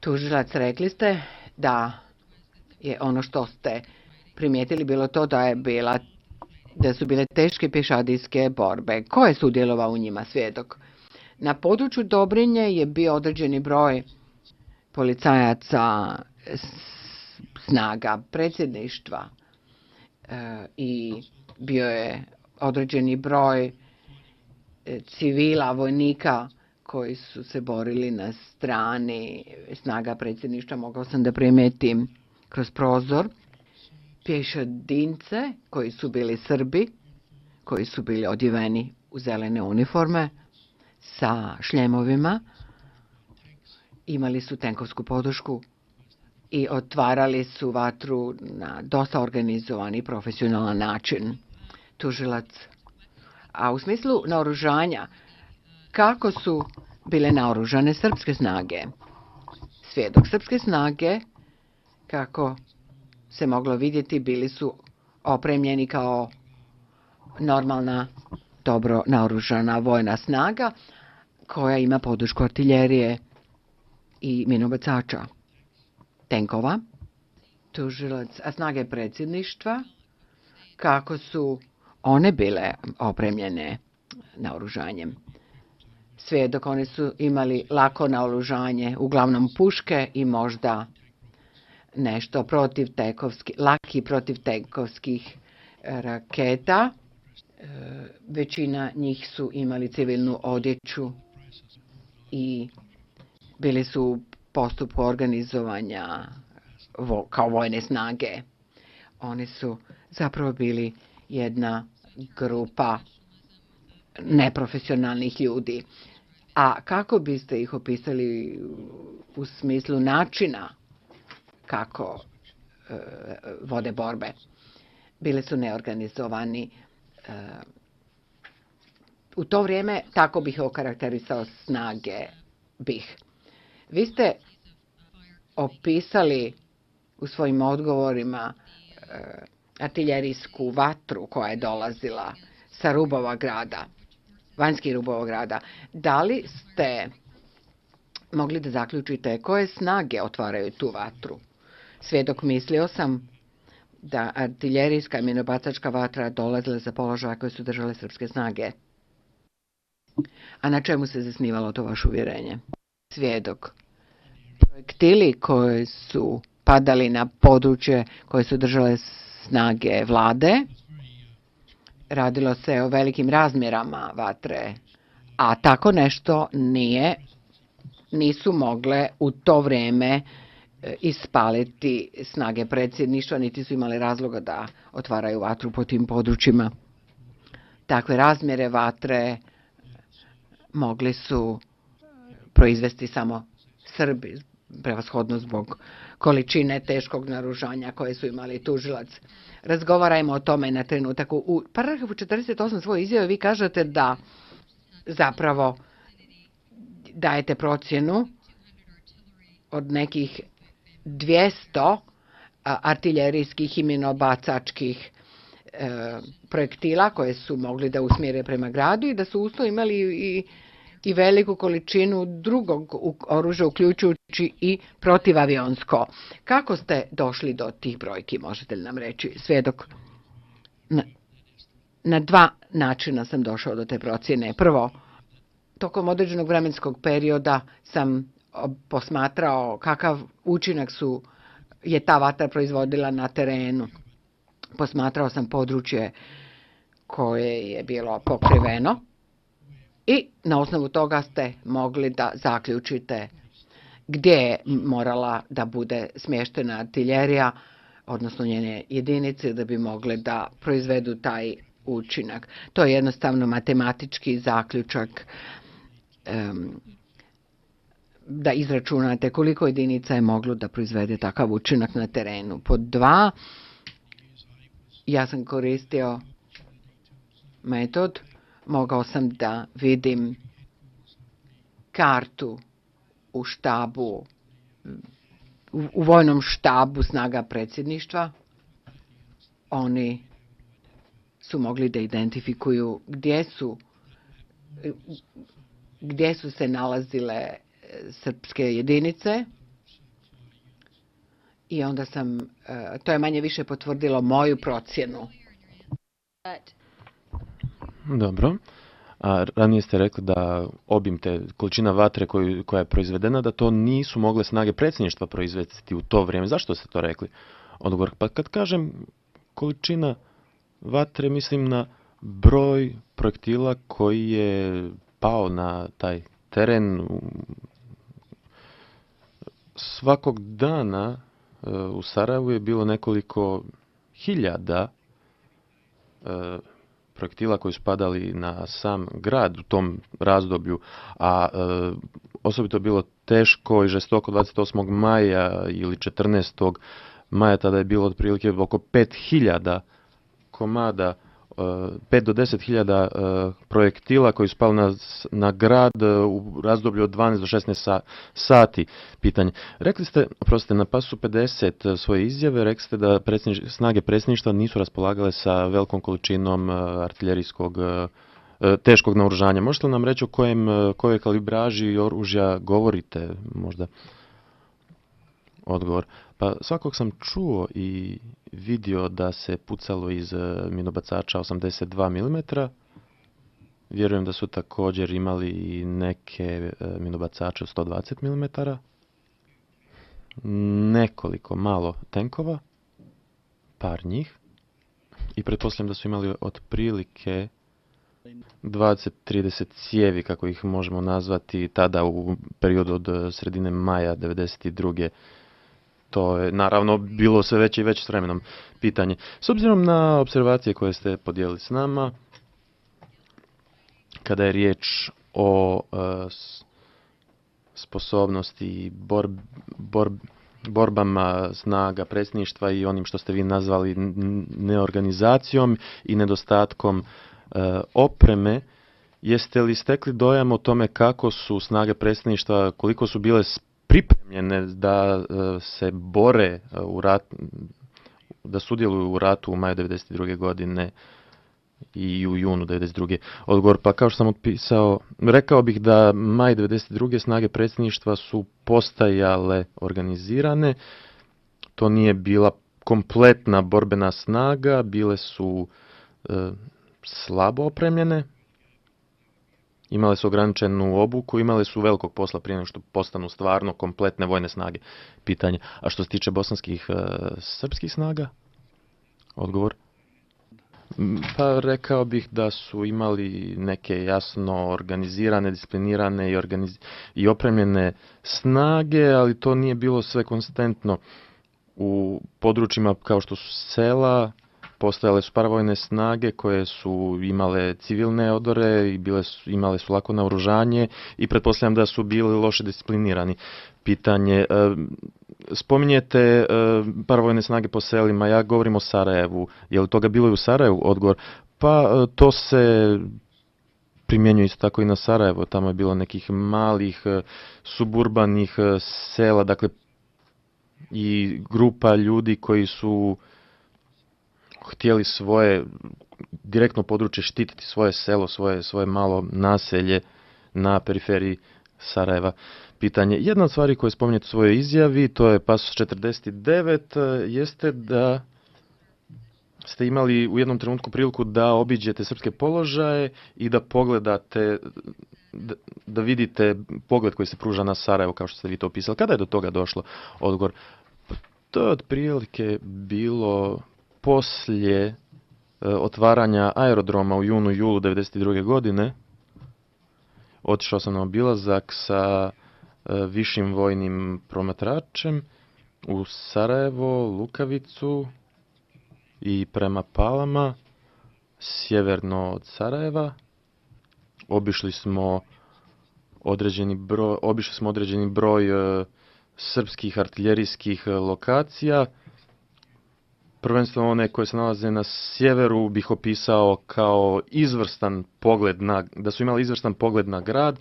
Tužilac, rekli ste da je ono što ste primijetili bilo to da su bile teške pješadijske borbe. Ko je sudjelovao u njima, svjedok? Na području Dobrinje je bio određeni broj policajaca snaga predsjedništva i bio je određeni broj civila, vojnika koji su se borili na strani snaga predsjedništva. Mogao sam da primijetim kroz prozor pješadince koji su bili Srbi, koji su bili odjeveni u zelene uniforme sa šljemovima, imali su tenkovsku podršku i otvarali su vatru na dosta organizovan i profesionalan način. Tužilac, a u smislu naoružanja, kako su bile naoružane srpske snage? Svjedok, srpske snage, kako se moglo vidjeti, bili su opremljeni kao normalna, dobro naoružana vojna snaga koja ima podršku artiljerije i minobacača, tenkova. Tužilac, a snage predsjedništva, kako su one bile opremljene naoružanjem? Svjedok, oni su imali lako naoružanje, uglavnom puške i možda nešto laki protivtenkovskih raketa. Većina njih su imali civilnu odjeću i bili su u postupku organizovanja kao vojne snage. Oni su zapravo bili jedna grupa neprofesionalnih ljudi. A kako biste ih opisali u smislu načina kako vode borbe? Bili su neorganizovani. U to vrijeme tako bih okarakterisao snage BiH. Vi ste opisali u svojim odgovorima artiljerijsku vatru koja je dolazila sa rubova grada, vanjskih rubova grada. Da li ste mogli da zaključite koje snage otvaraju tu vatru? Svjedok, mislio sam da artiljerijska i minobacačka vatra dolazila za položaja koje su držale srpske snage. A na čemu se zasnivalo to vaše uvjerenje? Svjedok, projektili koji su padali na područje koje su držale snage vlade, radilo se o velikim razmjerama vatre, a tako nešto nisu mogle u to vrijeme ispaliti snage predsjedništva, niti su imali razloga da otvaraju vatru po tim područjima. Takve razmjere vatre mogli su proizvesti samo Srbi, prevashodno zbog količine teškog naoružanja koje su imali. Tužilac, razgovarajmo o tome na trenutak. U paragrafu 48 svoje izjave vi kažete da zapravo dajete procjenu od nekih 200 artiljerijskih i minobacačkih projektila koje su mogli da usmjere prema gradu i da su usto imali i veliku količinu drugog oružja, uključujući i protivavionsko. Kako ste došli do tih brojki, možete li nam reći? Svjedok, na dva načina sam došao do te procjene. Prvo, tokom određenog vremenskog perioda sam posmatrao kakav učinak je ta vatra proizvodila na terenu. Posmatrao sam područje koje je bilo pokriveno i na osnovu toga ste mogli da zaključite gdje je morala da bude smještena artiljerija, odnosno njene jedinice, da bi mogle da proizvedu taj učinak. To je jednostavno matematički zaključak da izračunate koliko jedinica je moglo da proizvede takav učinak na terenu. Pod dva, ja sam koristio metod, mogao sam da vidim kartu u štabu, u vojnom štabu snaga predsjedništva. Oni su mogli da identifikuju gdje su se nalazile srpske jedinice I onda to je manje više potvrdilo moju procjenu. Dobro. A ranije ste rekli da obim te količina vatre koja je proizvedena, da to nisu mogle snage predsjedništva proizvesti u to vrijeme. Zašto ste to rekli? Odgovor, pa kad kažem količina vatre, mislim na broj projektila koji je pao na taj teren. Svakog dana u Sarajevu je bilo nekoliko hiljada projektila koji su padali na sam grad u tom razdoblju, a osobito bilo teško i žestoko 28. maja ili 14. maja, tada je bilo otprilike oko 5000 komada, 5 do 10.000 projektila koji su pali na grad u razdoblju od 12 do 16 sati. Pitanje. Rekli ste, oprostite, na pasu 50 svoje izjave, rekli ste da snage predsjedništva nisu raspolagale sa velikom količinom artiljerijskog teškog naoružanja. Možete li nam reći o kojoj kalibraži oružja govorite možda? Odgovor. Pa svakog sam čuo i vidio da se pucalo iz minobacača 82 mm. Vjerujem da su također imali i neke minobacače od 120 mm. Nekoliko malo tenkova, par njih. I pretpostavljam da su imali otprilike 20-30 cijevi, kako ih možemo nazvati, tada u periodu od sredine maja 1992. To je naravno bilo sve veće i veće s vremenom pitanje. S obzirom na observacije koje ste podijelili s nama, kada je riječ o sposobnosti i borbama snaga predsjedništva i onim što ste vi nazvali neorganizacijom i nedostatkom opreme, jeste li stekli dojam o tome kako su snage predsjedništva, koliko su bile pripremljene da se bore u rat, da sudjeluju u ratu u maju 1992. godine i u junu 1992. Odgovor, pa kao što sam otpisao, rekao bih da maj 1992. snage predsjedništva su postajale organizirane. To nije bila kompletna borbena snaga, bile su slabo opremljene. Imale su ograničenu obuku, imale su velikog posla prije nego što postanu stvarno kompletne vojne snage. Pitanje. A što se tiče bosanskih srpskih snaga? Odgovor. Pa rekao bih da su imali neke jasno organizirane, disciplinirane i opremljene snage, ali to nije bilo sve konstantno. U područjima kao što su sela, postojale su paravojne snage koje su imale civilne odore i imale su lako naoružanje i pretpostavljam da su bili loše disciplinirani. Pitanje, spominjete paravojne snage po selima, ja govorim o Sarajevu. Je li toga bilo i u Sarajevu? Odgovor, pa to se primjenjuje isto tako i na Sarajevo. Tamo je bilo nekih malih suburbanih sela, dakle i grupa ljudi koji su htjeli svoje direktno područje štititi, svoje selo, svoje malo naselje na periferiji Sarajeva. Pitanje. Jedna od stvari koje spominjete u svojoj izjavi, to je pasus 49, jeste da ste imali u jednom trenutku priliku da obiđete srpske položaje i da pogledate, da vidite pogled koji se pruža na Sarajevo, kao što ste vi to opisali. Kada je do toga došlo? Odgovor. To je otprilike bilo poslije otvaranja aerodroma u julu 1992. godine. Otišao sam na obilazak sa višim vojnim promatračem u Sarajevo, Lukavicu i prema Palama, sjeverno od Sarajeva. Obišli smo određeni broj srpskih artiljerijskih lokacija. Prvenstveno one koje se nalaze na sjeveru bih opisao kao izvrstan pogled da su imali izvrstan pogled na grad.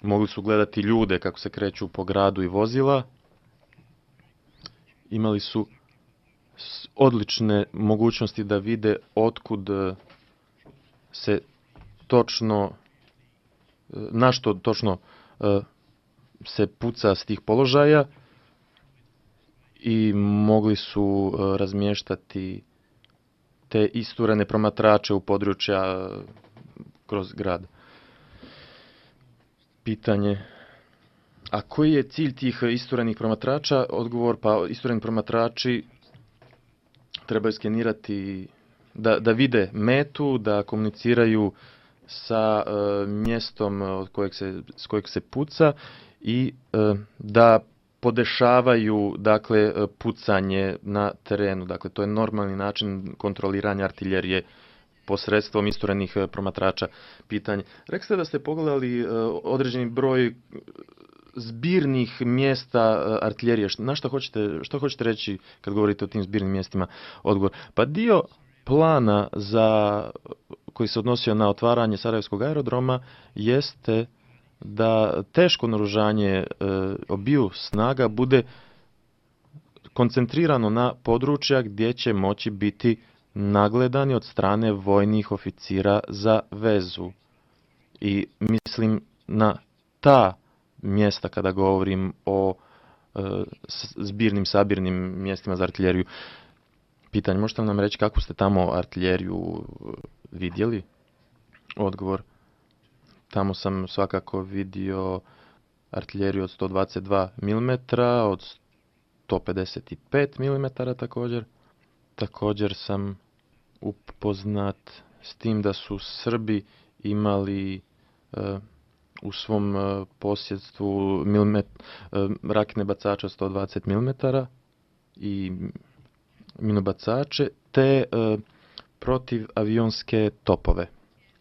Mogli su gledati ljude kako se kreću po gradu i vozila. Imali su odlične mogućnosti da vide otkud se točno, na što točno se puca s tih položaja. i mogli su razmještati te isturene promatrače u područja kroz grad. Pitanje: a koji je cilj tih isturenih promatrača? Odgovor: pa istureni promatrači trebaju skenirati, da vide metu, da komuniciraju sa mjestom s kojeg se puca i da podešavaju, dakle, pucanje na terenu. Dakle, to je normalni način kontroliranja artiljerije posredstvom isturenih promatrača. Pitanje: rekli ste da ste pogledali određeni broj zbirnih mjesta artiljerije. Što hoćete reći kad govorite o tim zbirnim mjestima? Odgovor: pa dio plana koji se odnosio na otvaranje Sarajevskog aerodroma jeste da teško naoružanje obiju snaga bude koncentrirano na područja gdje će moći biti nagledani od strane vojnih oficira za vezu. I mislim na ta mjesta kada govorim o sabirnim mjestima za artiljeriju. Pitanje: možete li nam reći kakvu ste tamo artiljeriju vidjeli? Odgovor: tamo sam svakako vidio artiljeriju od 122 mm, od 155 mm također. Također sam upoznat s tim da su Srbi imali u svom posjedstvu raketne bacače od 120 mm i minobacače te protivavionske topove.